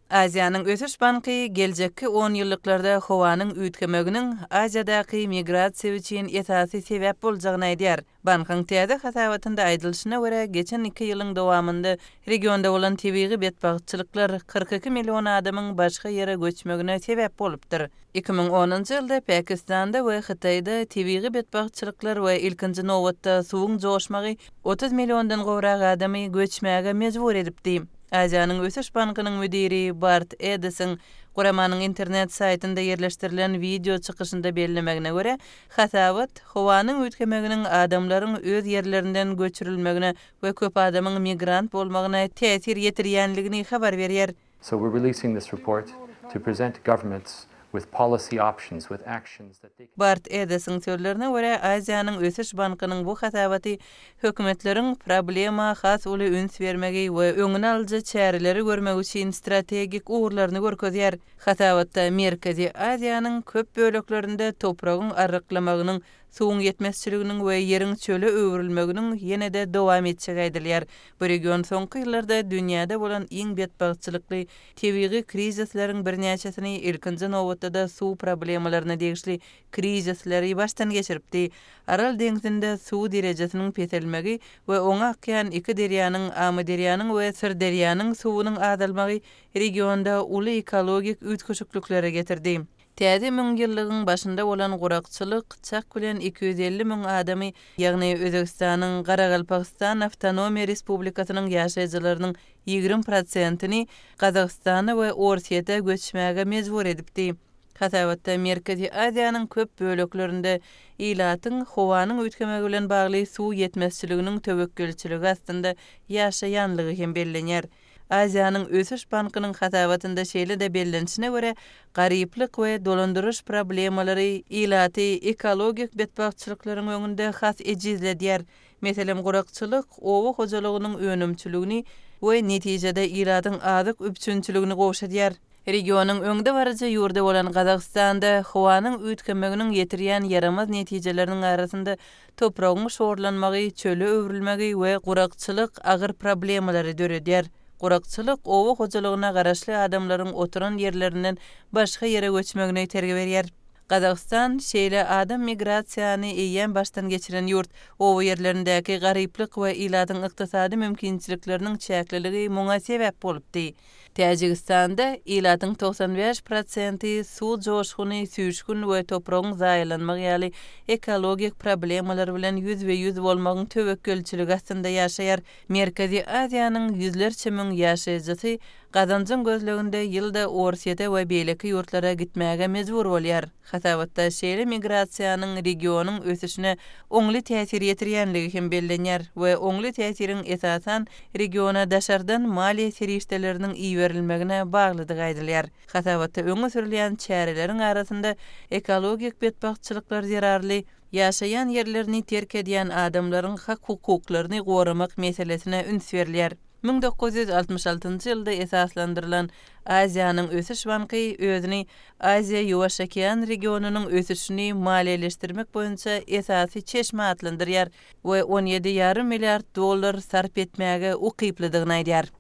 Aziýanyň ösüş banky geljekki onýyllyklarda howanyň üýtgemeginiň Aziýadaky migrasiýa üçin esasy sebäp boljagyny aýdýar. Bankyň täze hasabatynda aýdylyşyna görä, geçen iki ýylyň dowamynda regionda bolan tebigy betbagtçylyklar 42 million adamyň başga ýere göçmegine sebäp bolupdyr. 2010-njy ýylda Pakistanda we Hytaýda tebigy betbagtçylyklar we ilkinji nobatda suwuň joşmagy 30 milliondan gowrak adamy göçmäge mejbur edipdi. Aziýanyň ösüş bankynyň müdiri Bart Edesiň guramanyň internet saýtynda ýerleşdirilen wideo çykyşynda bellemegine görä, hasabat howanyň üýtgemeginiň adamlaryň öz ýerlerinden göçürilmegine we köp adamyň migrant bolmagyna täsir ýetirýänligini habar berýär. So we're releasing this report to present governments with policy options, with actions that they can. Bart Edesiň sözlerine görä, Aziýanyň ösüş bankynyň bu hasabaty hökümetleriň problema has uly üns bermegi we öňüni alyjy çäreleri görmegi üçin strategik ugurlaryny görkezýär. Hasabatda Merkezi Aziýanyň köp böleklerinde topragyň arryklamagynyň Suwuň ýetmezçiliginiň we ýeriň çöle öwrülmeginiň ýene-de dowam etjegi aýdylýar. Bu region soňky ýyllarda dünýäde bolan iň betbagtçylykly tebigy krizisleriň birnäçesini, ilkinji nobatda-da suw problemalaryna degişli krizisleri başdan geçiripdi. Aral deňzinde suw derejesiniň peselmegi we oňa akýan iki derýanyň, Amyderýanyň we Syrderýanyň suwunyň azalmagy regionda uly ekologik üýtgeşikliklere getirdi. Täze müňýyllygyň başynda bolan gurakçylyk çak bilen 250 müň adamy, ýagny Özbegistanyň Garagalpagystan Awtonomiýa Respublikasynyň ýaşaýjylarynyň 20 prosentini Gazagystana we Orsýete göçmäge mejbur edipdi. Hasabatda Merkezi Aziýanyň köp böleklerinde ilatyň howanyň üýtgemegi bilen bagly suw ýetmezçiliginiň töwekgelçiligi astynda ýaşaýanlygy hem bellenýär. Aziýanyň ösüş bankynyň hasabatynda şeýle-de bellenişine görä, garyplyk we dolandyryş problemalary ilaty ekologik betbagtçylyklaryň öňünde has ejizledýär. Meselem, gurakçylyk oba hojalygynyň önümçiligini we netijede ilatyň azyk üpjünçiligini gowşadýar. Regionyň öňdebaryjy ýurdy bolan Gazagystanda howanyň üýtgemeginiň ýetirýän ýaramaz netijeleriniň arasynda topragyň şorlanmagy, çöle öwrülmegi we gurakçylyk agyr problemalary döredýär. Gurakçylyk oba hojalygyna garaşly adamlaryň oturan ýerlerinden başga ýere göçmegine itergi berýär. Gazagystan şeýle adam migrasiýany eýýäm başdan geçiren ýurt. Oba ýerlerindäki garyplyk we ilatyň ykdysady mümkinçilikleriniň çäkliligi muňa sebäp bolupdy. Täjigistanda ilatyň 95 prosenti suw joşguny, süýşgün we topragyň zaýalanmagy ýaly ekologik problemalar bilen ýüzbe-ýüz bolmagyň töwekgelçiligi astynda ýaşaýar. Merkezi Aziýanyň ýüzlerçe müň ýaşaýjysy gazanjyň gözleginde ýylda Orsýete we beýleki ýurtlara gitmäge mejbur bolýar. Hasabatda şeýle migrasiýanyň regionyň ösüşine oňly täsir ýetirýänligi hem bellenýär we oňly täsiriň esasan regiona daşardan maliýe serişdeleriniň iberilmegine baglydygy aýdylýar. Hasabatda öňe sürülýän çäreleriň arasynda ekologik betbagtçylyklar zerarly ýaşaýan ýerlerini terk edýän adamlaryň hak-hukuklaryny goramak meselesine üns berilýär. 1966-njy ýylda esaslandyrylan Aziýanyň ösüş banky özüni Aziýa-Ýuwaş okean regionynyň ösüşini maliýeleşdirmek boýunça esasy çeşme atlandyrýar we on ýedi ýarym milliard dollar sarp etmäge ukyplydygyny aýdýar.